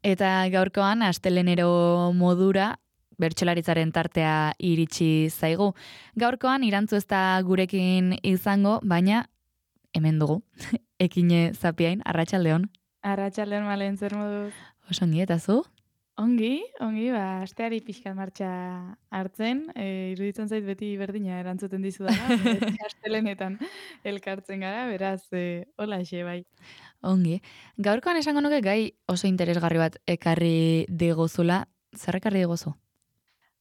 Eta gaurkoan astelenero modura bertsolaritzaren tartea iritsi zaigu. Gaurkoan irantzu ez da gurekin izango, baina hemen dugu. Ekine Zapiain, arratsaldeon. Arratsaldeon Malen, zer moduz? Oso ongi eta zu? Ongi, asteari pixkat martxa hartzen, iruditzen zait beti berdina erantzuten dizudala, beti astelenetan elkartzen gara, beraz, holaxe bai. Ongi. Gaurkoan esango nuke gai oso interesgarri bat ekarri diguzula. Zer ekarri diguzu?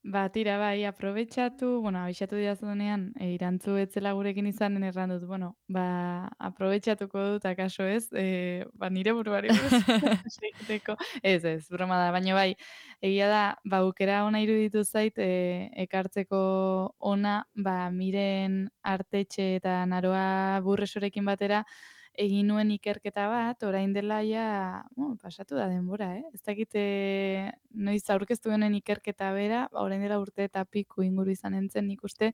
Ba, tira bai, aprobetxatu, abixatu didazunean, irantzu etzela gurekin izanen erran dut, aprobetxatuko dut, akaso ez, nire buruari buruz hitz egiteko. Ez, broma da, baina bai, egia da, aukera ona iruditu zait, ekartzeko ona, miren artetxe eta naroa burresorekin batera, egin nuen ikerketa bat, orain dela ja, pasatu da denbora, ez dakit noiz aurkeztu honen ikerketa bera, orain dela urte eta piku inguru izan entzen nik uste,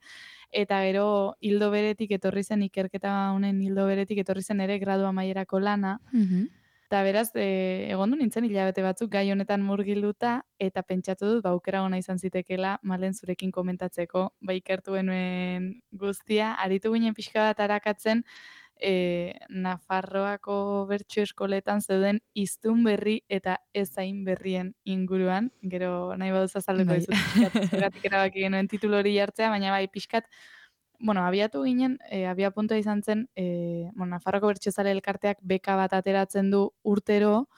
eta gero hildo beretik etorri zen ikerketa honen hildo beretik etorri zen ere gradu amaierako lana, eta beraz, egon du nintzen hilabete batzuk gai honetan murgilduta, eta pentsatu dut, aukera ona izan zitekela, Malen zurekin komentatzeko, ikertu genuen guztia, aritu ginen pixka bat arakatzen, Nafarroako bertso eskoletan zeuden hiztun berri eta ez hain berrien inguruan, gero nahi baduz azalduko Bai. dizut pixkat zergatik erabaki genuen titulu hori jartzea, baina bai pixkat, abiatu ginen, abiapuntua izan zen, Nafarroako Bertsozale Elkarteak beka bat ateratzen du urtero,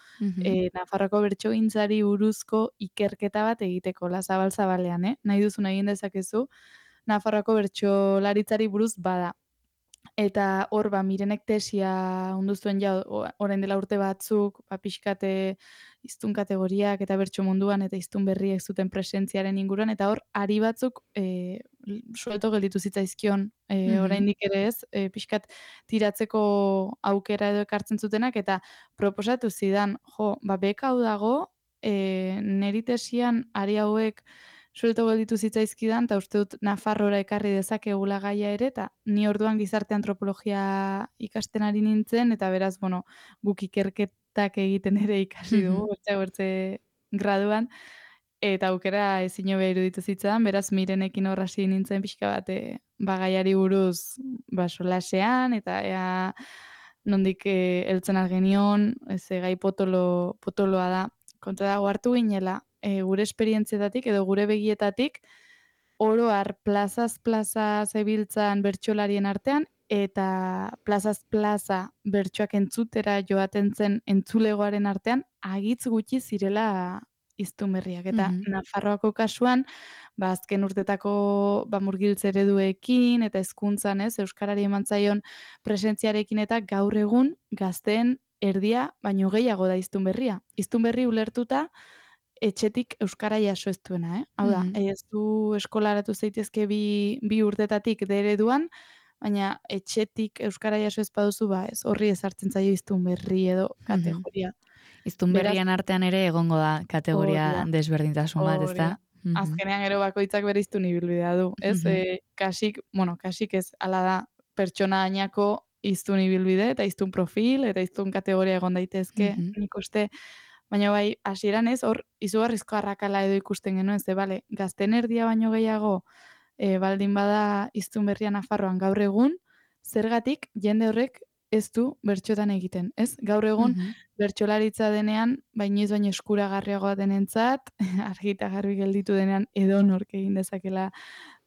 Nafarroako bertsogintzari buruzko ikerketa bat egiteko, la zabal-zabalean, nahi duzun egin dezakezu, Nafarroako bertsolaritzari buruz bada. Eta hor, Mirenek tesia ondu zuen orain dela urte batzuk, pixkate hiztun kategoriak eta bertso munduan eta hiztun berriek zuten presentziaren inguruan, eta hor, ari batzuk suelto gelditu zitzaizkion, oraindik ere ez, pixkat tiratzeko aukera edo ekartzen zutenak, eta proposatu zidan, beka hau dago, neri tesian ari hauek suelto gelditu zitzaizkidan, eta uste dut Nafarrora ekarri dezakegula gaia ere, eta ni orduan gizarte antropologia ikasten ari nintzen, eta beraz, guk ikerketak egiten ere ikasi dugu, bertze graduan, eta aukera ezin hobea iruditu zitzaidan, beraz Mirenekin hor hasi nintzen pixka bat, gaiari buruz, solasean, eta ea nondik heltzen genion, gai potoloa da. Kontua da, ohartu ginela, gure esperientzietatik edo gure begietatik, oro har plazaz plaza zebiltzan bertsolarien artean, eta plazaz plaza bertsoak entzutera joaten zen entzulegoaren artean, agitz gutxi zirela hiztun berriak. Eta Nafarroako kasuan, azken urtetako murgiltze ereduekin eta hezkuntzan, euskarari eman zaion presentziarekin eta gaur egun gazteen erdia baino gehiago da hiztun berria. Hiztun berri ulertuta etxetik euskara jaso ez duena, Hau da, ez du eskolaratu zaitezke bi urtetatik D ereduan, baina etxetik euskara jaso ez baduzu, ez horri ezartzen zaio hiztun berri edo kategoria. Hiztun Beraz, berrien artean ere egongo da hori kategoria da, desberdintasun bat, hori da. ezta? Azkenean gero bakoitzak bere hiztun ibilbidea du, ez? Kasik ez, hala da, pertsona ainako hiztun ibilbide eta hiztun profil eta hiztun kategoria egon daitezke, nik uste. Baina bai, hasieran ez, hor izugarrizko arrakala edo ikusten genuen, ze bale, gazteen erdia baino gehiago baldin bada hiztun berria Nafarroan gaur egun, zergatik jende horrek ez du bertsotan egiten, ez? Gaur egun bertsolaritza denean, inoiz baino eskuragarriagoa denentzat, argi eta garbi gelditu denean edonork egin dezakela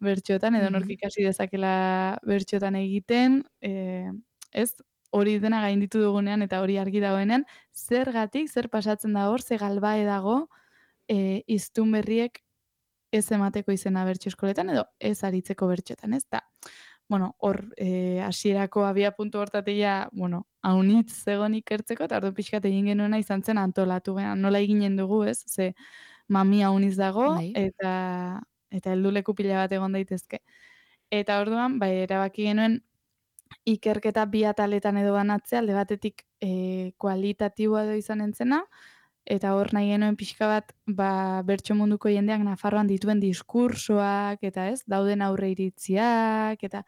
bertsotan, edonork ikasi dezakela bertsotan egiten, ez? Hori dena gainditu dugunean eta hori argi dagoenean, zergatik, zer pasatzen da hor, ze galbae dago, hiztun berriek ez emateko izena bertso eskoletan edo ez aritzeko bertsotan, ez? Hor, hasierako abiapuntu hortatik haunitz zegoen ikertzeko, eta orduan pixkat egin genuena izan zen antolatu gehan, nola eginen dugu, ez? Ze mami hauniz dago, Bai. eta helduleku pila bat egon daitezke. Eta orduan, erabaki genuen ikerketa bi ataletan edo banatzea, alde batetik kualitatiboa edo izan entzena, eta hor nahi genuen pixka bat, bertso munduko jendeak Nafarroan dituen diskursoak, eta ez, dauden aurre iritziak, eta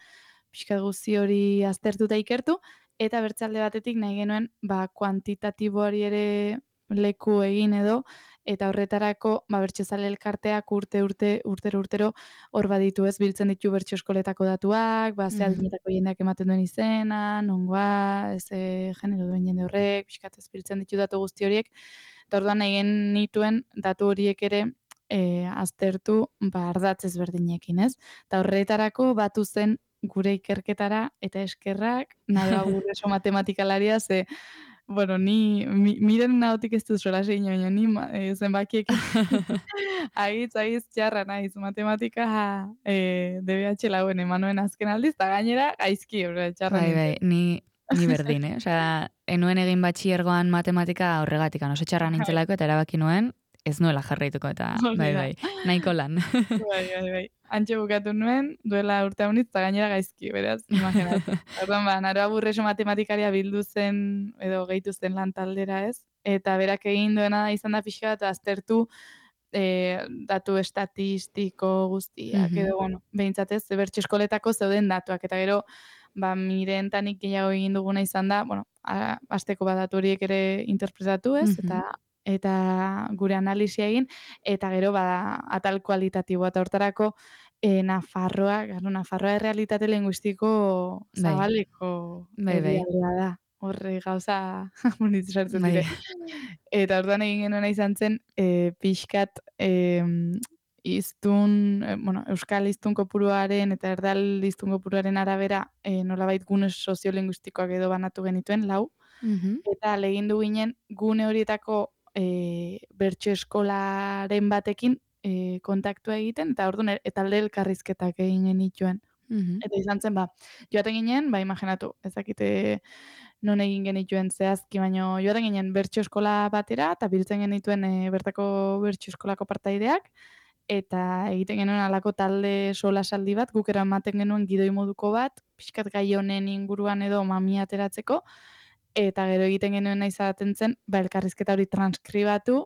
pixka guzti hori aztertuta ikertu, eta bertze alde batetik nahi genuen, kuantitatiboari ere leku egin edo, eta horretarako bertsozale elkarteak urtero hor baditu ez, biltzen ditu bertso eskoletako datuak, ze adinetako jendeak ematen duen izena, nongoa, genero duen jende horrek, pixkat ez biltzen ditu datu guzti horiek, eta orduan egin nituen datu horiek ere aztertu ardatz ezberdinekin, ez? Eta horretarako batu zen gure ikerketara eta eskerrak, Naroa Burreso matematikalaria, bueno, ni miren nahotik ez dut sola segin, baina ni zenbakiek agitz txarra naiz, matematika DBH lauen emanuen azken aldiz, eta gainera gaizki, txarra nintzen. Bai, ni berdin, Osea, enuen egin batxiergoan matematika horregatik, oso txarra nintzelako, eta erabaki nuen, ez nuela jarraituko, eta bai, nahiko lan. Bai. Antxe bukatu nuen, duela urte haunitz, eta gainera gaizki, beraz, imaginatu. Orduan, Naroa Burreso matematikaria bildu zen, edo gehitu zen lan taldera ez, eta berak egin duena izan da pixka bat aztertu datu estatistiko guztiak, edo, bueno, behintzatez, bertso eskoletako zeuden datuak, eta gero, mirentanik gehiago egin duguna izan da, bueno, asteko datu horiek ere interpretatu ez, eta gure analisia egin, eta gero atal kualitatiboa, eta hortarako Nafarroa errealitate linguistiko zabaleko herrialdea da. Horre gauza bonitzu sartzen dire. Eta orduan egin genuena izan zen, pixkat euskal hiztun kopuruaren eta erdal hiztun kopuruaren arabera nolabait gune soziolinguistikoak edo banatu genituen, 4, eta legindu ginen gune horietako bertso eskolaren batekin kontaktua egiten, eta orduan talde elkarrizketak egin genituen. Eta izan zen, joaten ginen, imaginatu, ezakite non egin genituen zehazki, baino joaten ginen bertso eskola batera, eta biltzen genituen bertako bertso eskolako partaideak, eta egiten genuen alako talde solasaldi bat, guk eramaten genuen gidoi moduko bat, pixkat gai honen inguruan edo mamia ateratzeko, eta gero egiten genuen izaten zen, elkarrizketa hori transkribatu,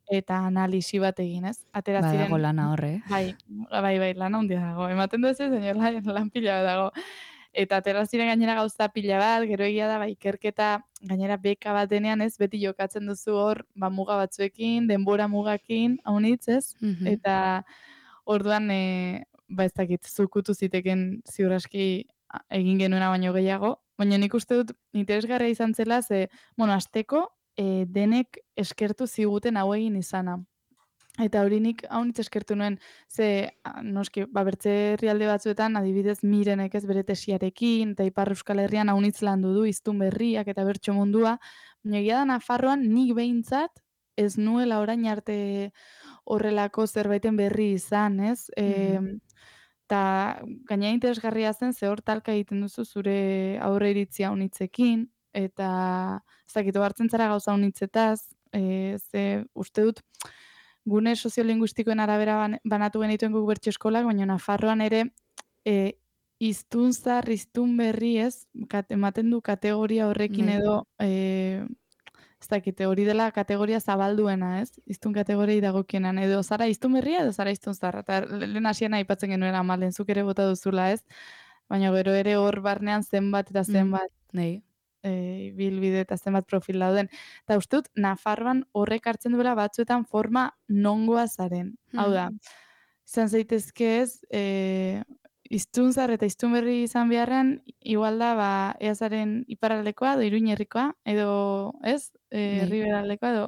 eta analisi bat egin, ez? Badago lana horre. Bai, lana handia dago. Ematen du ez, lan pila dago. Eta atera ziren gainera gauza pila bat, gero egia da, ikerketa gainera beka bat denean, ez? Beti jokatzen duzu hor, muga batzuekin, denbora mugakin, haunitz, ez? Eta orduan, ez dakit, zukutu ziteken ziur aski egin genuena baino gehiago, baina nik uste dut interesgarria izan zela, asteko, denek eskertu ziguten hau egin izana. Eta hori nik haunitz eskertu nuen, noski, bertze herrialde batzuetan, adibidez Mirenek ez bere tesiarekin, eta Ipar Euskal Herrian haunitz landu du, hiztun berriak eta bertso mundua, baina egia da Nafarroan nik behintzat ez nuela orain arte horrelako zerbaiten berri izan, ez? Eta gaina interesgarria zen, hor talka egiten duzu zure aurre iritzia haunitzekin, eta ez dakit, hartzen zara gauza haunitzetaz, uste dut, gune soziolinguistikoen arabera banatu genituen guk bertso eskolak, baina Nafarroan ere hiztun zahar, hiztun berri ez, ematen du kategoria horrekin edo, ez dakite, hori dela kategoria zabalduena, ez? Hiztun kategoriai dagokienan, edo zara hiztun berria edo zara hiztun zaharra, eta lehen hasian aipatzen genuen amalen, zuk ere bota duzula, ez? Baina gero ere hor barnean zenbat eta zenbat bilbide eta zenbat profil dauden. Eta uste dut, Nafarroan horrek hartzen duela batzuetan forma nongoa zaren. Hau da, izan zaitezke ez, hiztun zahar eta hiztun berri izan beharrean, igual da, ea zaren iparraldekoa, edo Iruin herrikoa, edo, ez, herriberaldekoa, edo,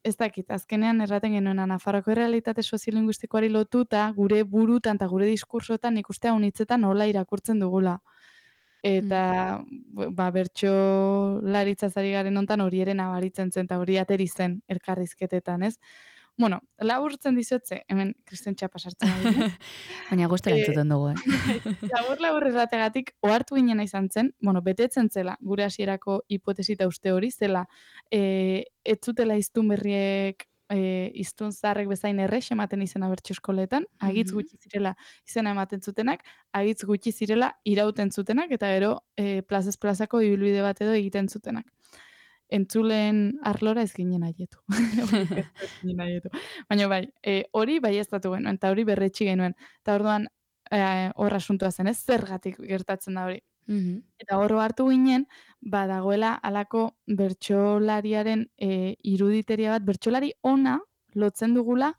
ez dakit, azkenean erraten genuena, Nafarroko errealitate soziolinguistikoari lotuta, gure burutan eta gure diskursotan ikuste haunitzetan nola irakurtzen dugula. Eta, bertso laritzaz ari garen hontan hori ere nabaritzen zen, eta hori ateri zen elkarrizketetan, ez? Bueno, laburtzen dizotze, hemen Kristen txapa sartzen ari. Baina guztera entzuten dugu, Labur errategatik, ohartu ginena izan zen, betetzen zela, gure hasierako hipotesita uste hori, zela, ez zutela hiztun berriek hiztun zaharrek bezain errex ematen izena bertso eskoletan, agitz gutxi zirela izena ematen zutenak, agitz gutxi zirela irauten zutenak, eta gero plazaz plazako ibilbide bat edo egiten zutenak. Entzulen arlora ez ginen aietu. Baina bai, hori bai ez datu genuen, eta hori berretxi genuen. Eta orduan, hor asuntua zen, ez zergatik gertatzen da hori. Eta oro hartu ginen, badagoela halako bertsolariaren iruditeria bat, bertsolari ona lotzen dugula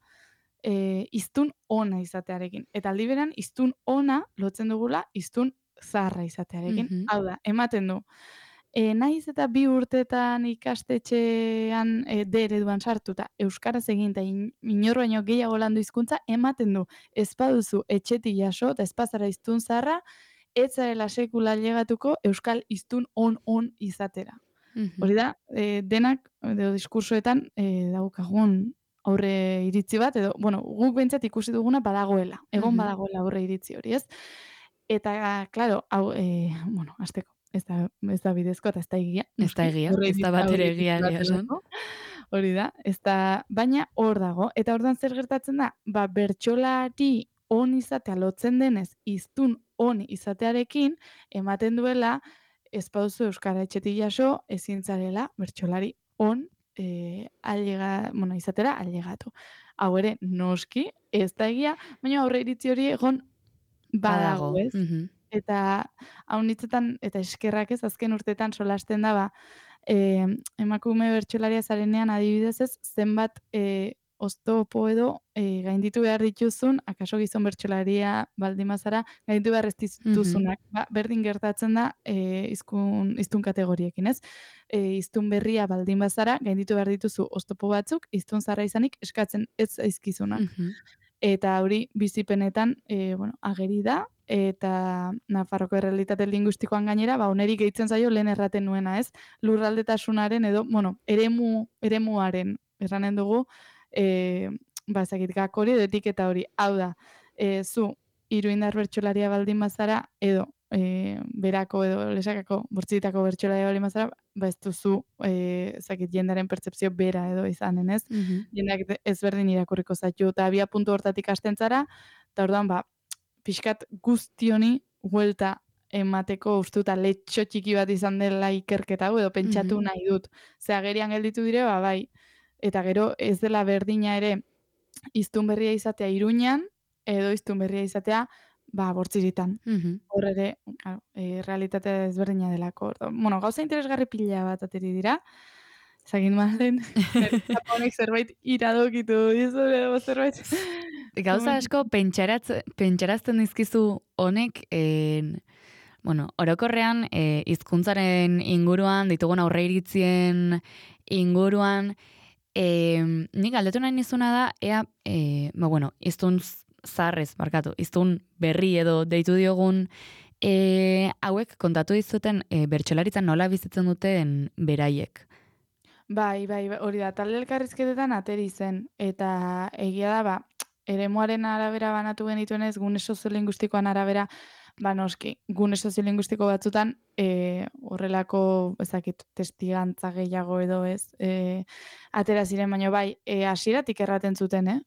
hiztun ona izatearekin. Eta aldi berean hiztun ona lotzen dugula hiztun zaharra izatearekin. Hau da, ematen du, nahiz eta 2 urtetan ikastetxean D ereduan sartuta euskaraz egin eta inor baino gehiago landu hizkuntza, ematen du, ez baduzu etxetik jaso eta ez bazara hiztun zaharra, ez zarela sekula ailegatuko euskal hiztun on izatera. Hori da, denak edo diskursoetan daukagun aurre iritzi bat, edo, bueno, guk behintzat ikusi duguna badagoela, egon badagoela aurre iritzi hori, ez? Eta, claro, hau, bueno, hasteko, ez da bidezko eta ez da egia. Ez da egia, ez da bat ere egia esan. Hori da, ez da, baina hor dago. Eta orduan zer gertatzen da? Ba, bertsolari on izatea lotzen denez, hiztun on izatearekin, ematen duela, ez baduzu euskara etxetik jaso, ezin zarela bertsolari on izatera ailegatu. Hau ere, noski, ez da egia, baina aurre iritzi hori egon badago, ez? Eta hau nitzetan, eta eskerrak ez, azken urtetan solasten da, emakume bertsolaria zarenean adibidez ez, zenbat oztopo edo gainditu behar dituzun, akaso gizon bertsolaria baldin bazara, gainditu behar ez dituzunak. Berdin gertatzen da hiztun kategoriekin, ez? Hiztun berria baldin bazara, gainditu behar dituzu oztopo batzuk, hiztun zaharra izanik eskatzen ez zaizkizunak. Eta hori bizipenetan ageri da, eta Nafarroko errealitate linguistikoan gainera, oneri gehitzen zaio lehen erraten nuena, ez? Lurraldetasunaren edo, eremuaren erranen dugu, ezakit, gak hori edo etiketa hori. Hau da, zu iruindar bertsolaria baldin bazara, edo berako edo lesakako bortzitako bertsolaria baldin bazara, ez duzu, ezakit, jendaren pertzepzio bera edo izanen, ez? Jendeak ezberdin irakurriko zaitu, eta abia puntu hortatik hasten zara, eta orduan, pixkat guzti honi huelta emateko ustuta letxo txiki bat izan dela ikerketa hau, edo pentsatu nahi dut. Ze agerian gelditu dire, bai. Eta gero ez dela berdina ere hiztun berria izatea Iruñan, edo hiztun berria izatea Bortziritan. Hor ere, realitatea ezberdina delako. Bueno, gauza interesgarri pila bat ateri dira. Zagin malen, honek zerbait iradokitu dizu, edo zerbait... Gauza asko pentsarazten dizkizu honek, orokorrean hizkuntzaren inguruan, ditugun aurreiritzien inguruan, nik galdetu nahi nizuna da, ea, hiztun zaharrez, hiztun berri edo deitu diogun, hauek kontatu dizuten bertsolaritzan nola bizitzen duten beraiek. Bai, hori da, talde elkarrizketetan ateri zen, eta egia da, eremuaren arabera banatu genituenez, gune soziolinguistikoan arabera, noski, gune soziolinguistiko batzutan, horrelako, ezakit, testigantza gehiago edo ez, atera ziren, baina bai, hasieratik erraten zuten,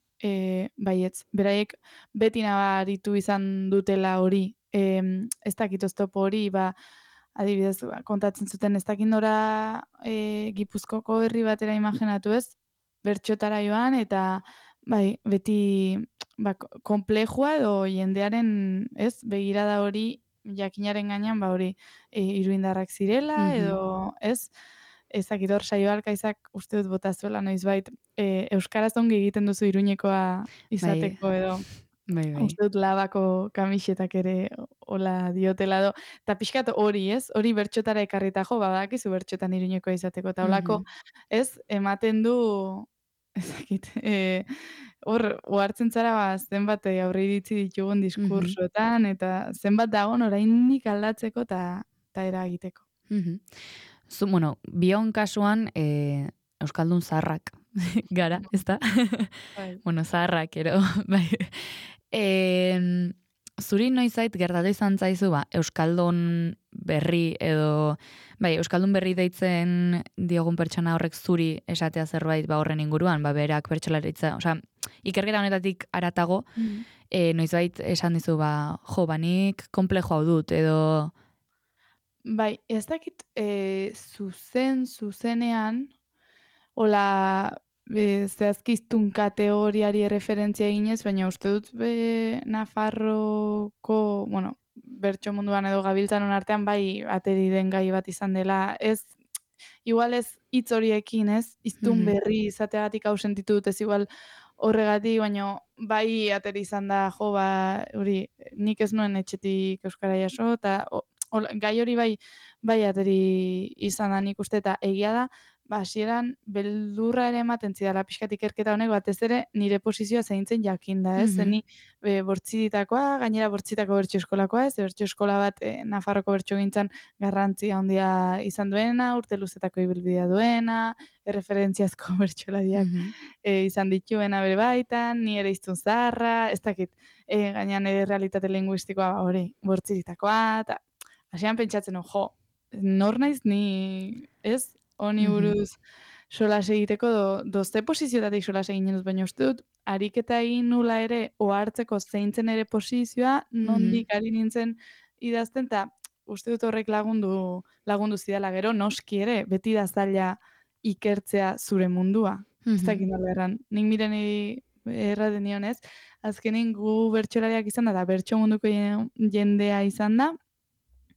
baietz, beraiek beti nabaritu izan dutela hori, ez dakit oztopo hori, adibidez, kontatzen zuten ez dakit nora Gipuzkoko herri batera imaginatu ez, bertxotara joan, eta bai, beti konplejua edo jendearen, ez, begirada hori jakinaren gainean, hori iruindarrak zirela, edo, ez, ezakit hor Saioalkaizak uste dut botazuela noizbait, euskaraz ongi egiten duzu Iruñekoa izateko edo. Uste dut labako kamisetak ere hola diotela edo. Eta pixkat hori, ez? Hori bertxotara ekarrita badakizu bertxotan Iruñekoa izateko. Eta holako, ez? Ematen du, ezakit, hor, ohartzen zara, zenbat aurre iritzi ditugun diskursoetan, eta zenbat dagoen oraindik aldatzeko eta eragiteko. Zu, bion kasuan, Euskaldun zaharrak gara, ez da? Zaharrak, ero, bai. Zuri noizait gertatu izan zaizu, Euskaldun berri edo, Euskaldun berri deitzen diogun pertsona horrek zuri esatea zerbait horren inguruan, berak bertsolaritza, ikerketa honetatik aratago, noizbait esan dizu, nik komplejo hau dut, edo... Bai, ez dakit zuzenean, hola, zehazkiztun kategoriari referentzia eginez, baina uste dut Nafarroko, bertso munduan edo gabiltzanon artean bai ateri den gai bat izan dela, igual ez hitz horiekin, ez? Hiztun berri izateagatik hau sentitu dut ez igual horregatik, baina bai ateri izan da, jo, hori, nik ez nuen etxetik euskara jaso, eta gai hori bai ateri izan da nik uste, eta egia da, hasieran beldurra ere ematen zidala pixkat ikerketa honek, batez ere nire posizioa zeintzen jakinda, ez? Zeni bortzitakoa, gainera bortzitako bertso eskolakoa, ez? Bertso eskola bat Nafarroko bertsogintzan garrantzia handia izan duena, urte luzetako ibilbidea duena, erreferentziazko bertsolariak izan dituena bere baitan, ni ere hiztun zaharra, ez dakit, gainean ere realitate linguistikoa hori, bortzitakoa, eta hasieran pentsatzen, jo, nor naiz ni, ez? Honi buruz solas egiteko dozte posizioetatik solas egin dut, baina uste dut, ariketa egin nula ere, ohartzeko zeintzen ere posizioa, nondik ari nintzen idazten, eta uste dut horrek lagundu zidala gero, noski ere, beti da zaila ikertzea zure mundua. Ez dakit nola erran. Nik mireni erraten nionez, azkenin gu bertsolariak izan da, bertso munduko jendea izan da,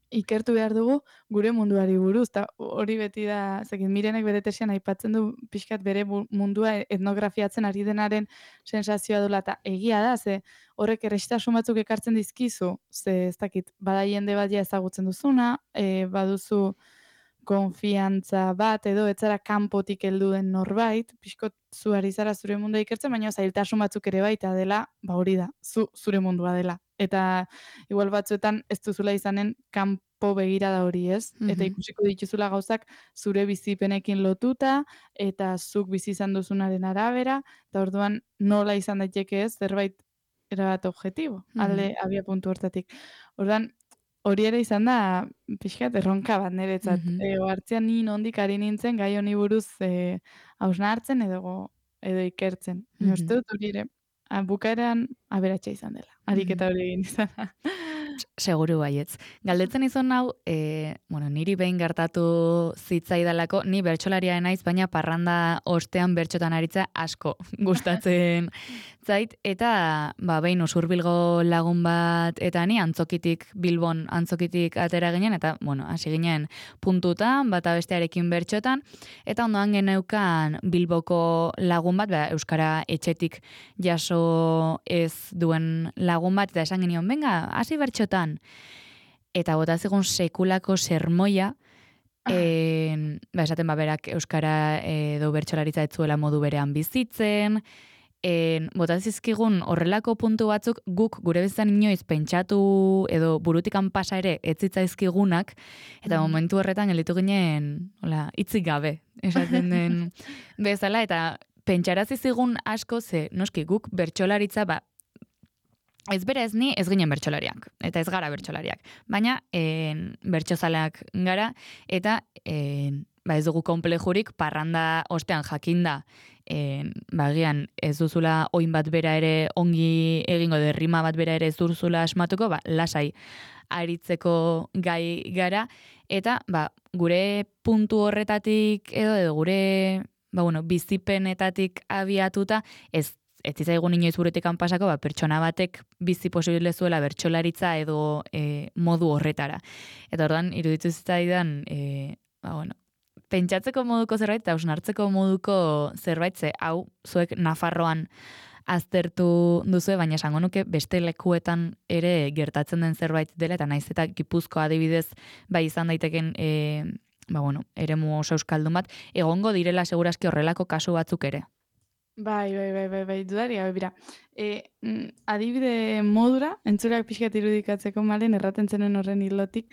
ikertu behar dugu gure munduari buruz, eta hori beti da, zekin Mirenek bere tesian aipatzen du pixkat bere mundua etnografiatzen ari denaren sensazioa dula, eta egia da, ze horrek errestasun batzuk ekartzen dizkizu, ze ez dakit, bada jende bat ja ezagutzen duzuna, baduzu konfiantza bat, edo etzara kanpotik heldu den norbait, pixkot zu ari zara zure mundua ikertzen, baina zailtasun batzuk ere baita dela, hori da, zure mundua dela. Eta igual batzuetan ez duzula izanen kanpo begirada hori, ez? Eta ikusiko dituzula gauzak zure bizipenekin lotuta, eta zuk bizi izan duzunaren arabera, eta orduan nola izan daiteke ez, zerbait erabat objektibo, alde abia puntu hortatik. Orduan, hori ere izan da, pixkat, erronka bat niretzat. Ohartzean ni nondik ari nintzen, gai honi buruz hausnartzen edo ikertzen. Uste dut hori ere, bukaeran aberatsa izan dela. Ariketa hori egin izan da. Seguru baietz. Galdetzen izan hau, niri behin gertatu zitzaidalako, ni bertsolaria naiz, baina parranda ostean bertxotan aritza asko gustatzen zait, eta behin Usurbilgo lagun bat, eta ni Bilbon antzokitik atera ginen, eta, hasi ginen puntutan, bata bestearekin bertxotan, eta ondoan geneukan Bilboko lagun bat, Euskara etxetik jaso ez duen lagun bat, eta esan genion, venga, hasi bertxotan. Eta bota zegoen sekulako sermoia, esaten berak Euskara edo bertsolaritza ez zuela modu berean bizitzen, bota zizkigun horrelako puntu batzuk guk gure bezan inoiz pentsatu edo burutikan pasa ere ez zitzaizkigunak, eta momentu horretan gelditu ginen hitzik gabe, esaten den bezala, eta pentsarazi zigun asko ze, noski guk bertsolaritza ez bere ez ni ez ginen bertsolariak, eta ez gara bertsolariak, baina bertsozaleak gara, eta ez dugu konplejurik parranda ostean jakinda, bagian ez duzula oin bat bera ere ongi egingo, derrima bat bera ere ez duzula asmatuko, lasai aritzeko gai gara, eta gure puntu horretatik edo gure bizipenetatik abiatuta ez zitzaigun inoiz burutekan pasako, pertsona batek bizi posible zuela bertsolaritza edo modu horretara. Eta orduan, iruditu zitzaidan, pentsatzeko moduko zerbait, eta hausnartzeko moduko zerbait, ze hau, zuek Nafarroan aztertu duzue, baina esango nuke beste lekuetan ere gertatzen den zerbait dela, eta naiz eta Gipuzkoa adibidez, izan daiteken, eremu oso euskaldun bat, egongo direla segurazki horrelako kasu batzuk ere. Bai, dudaria, bera. Adibide modura, entzuleak pixkat irudikatzeko malen, erraten zenen horren hilotik,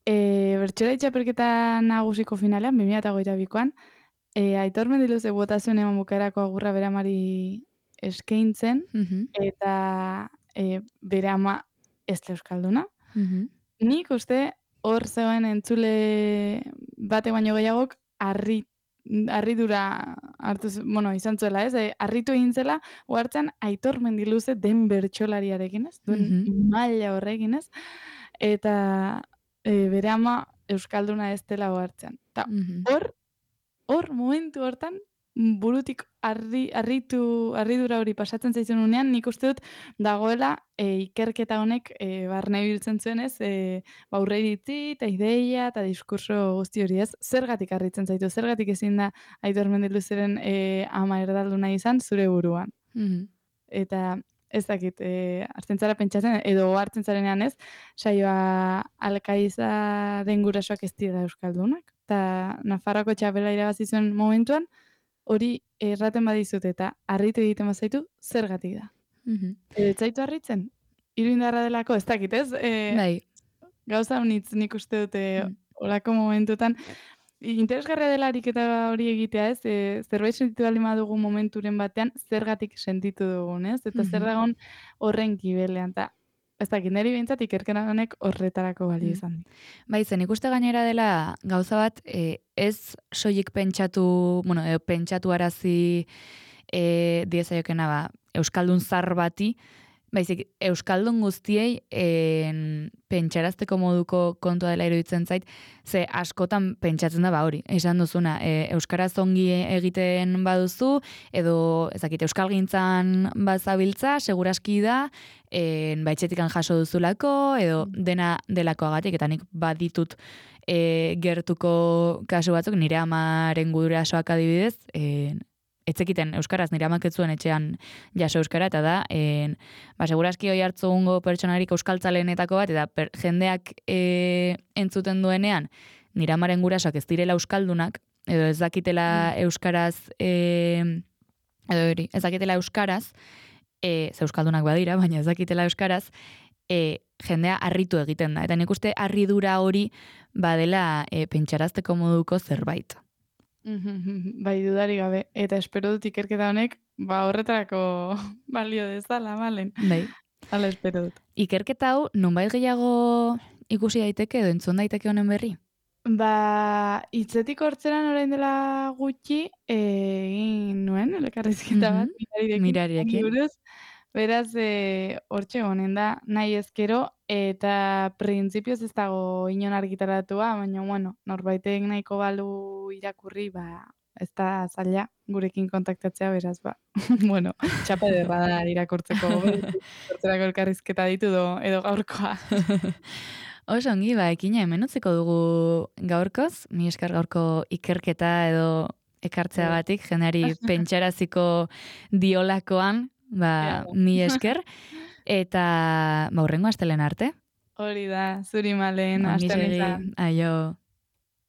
bertsola txapelketa nagusiko finalean, 2022an, Aitor Mendiluze botazioen eman bukaerako agurra bere amari eskaintzen, eta bere ama ez euskalduna. Nik uste hor zegoen entzule bate baino gehiagok harridura hartu, izan zuela, ez? Harritu egin zela, ohartzen Aitor Mendiluze den bertsolariarekin, ez? Duen maila horrekin, ez? Eta bere ama euskalduna ez dela ohartzen. Eta hor momentu hortan, burutik harridura hori pasatzen zaizun unean, nik uste dut dagoela ikerketa honek barne biltzen zuen ez, aurre iritzi eta ideia eta diskurso guzti hori ez, zergatik harritzen zaitu, zergatik ezin da Aitor Mendiluzeren ama erdalduna izan zure buruan. Eta ez dakit, hartzen zara pentsatzen, edo hartzen zarenean ez, saioa Alkaizaren gurasoak ez dira euskaldunak, eta Nafarroako txapela irabazi zuen momentuan, hori erraten badizut eta harritu egiten bazaitu, zergatik da. Ez zaitu harritzen? Iruindarra delako, ez dakit, ez? Bai. Gauza honitz nik uste dute olako momentutan, interesgarria delarik eta hori egitea, ez? Zerbait sentitu baldin badugu momenturen batean, zergatik sentitu dugun, ez? Eta zer dagoen horren gibelean, eta ez dakit, niri behintzat ikerkera honek horretarako balio izan. Bai, zen ikuste gainera dela gauza bat, ez soilik pentsatu, bueno, pentsatu arazi diezaiokena ba, euskaldun zar bati, baizik, euskaldun guztiei pentsarazteko moduko kontua dela iruditzen zait, ze askotan pentsatzen da ba hori, esan duzuna, euskaraz ongi egiten baduzu, edo ezakite euskalgintzan bazabiltza, seguraski da, baitxetikan jaso duzulako, edo dena delakoagatik, eta nik baditut gertuko kasu batzuk, nire amaren gurasoak adibidez, etzekiten euskaraz nire amak ez zuen etxean jaso euskara, eta da, seguraski hoi hartzugungo pertsonarik euskaltzalenetako bat, eta jendeak entzuten duenean, nire amaren gurasoak ez direla euskaldunak, edo ez dakitela euskaraz, edo hori, ez dakitela euskaraz, ze euskaldunak badira, baina ez dakitela euskaraz, jendea harritu egiten da. Eta nik uste harridura hori badela pentsarazteko moduko zerbait. Bai, dudari gabe. Eta espero dut ikerketa honek, horretarako balio dezala, malen. Bai. Hala espero dut. Ikerketa hau, nonbait gehiago ikusi daiteke edo entzun daiteke honen berri? Hitzetik hortzeran orain dela gutxi, egin nuen, elkarrizketa bat, mirarirekin. Beraz, hortxe honen da, nahi ezkero, eta printzipioz ez dago inon argitaratua, baina, bueno, norbaitek nahiko balu irakurri, ez da zaila gurekin kontaktatzea, beraz, bueno, txapa ederra da irakurtzeko, hortzerako elkarrizketa ditu edo gaurkoa. Oso ongi, ekina hemen utziko dugu gaurkoz, mi esker gaurko ikerketa edo ekartzeagatik, jendeari pentsaraziko diolakoan, mi esker, eta hurrengo astelen arte. Hori da, zuri malen, astelen. Aio.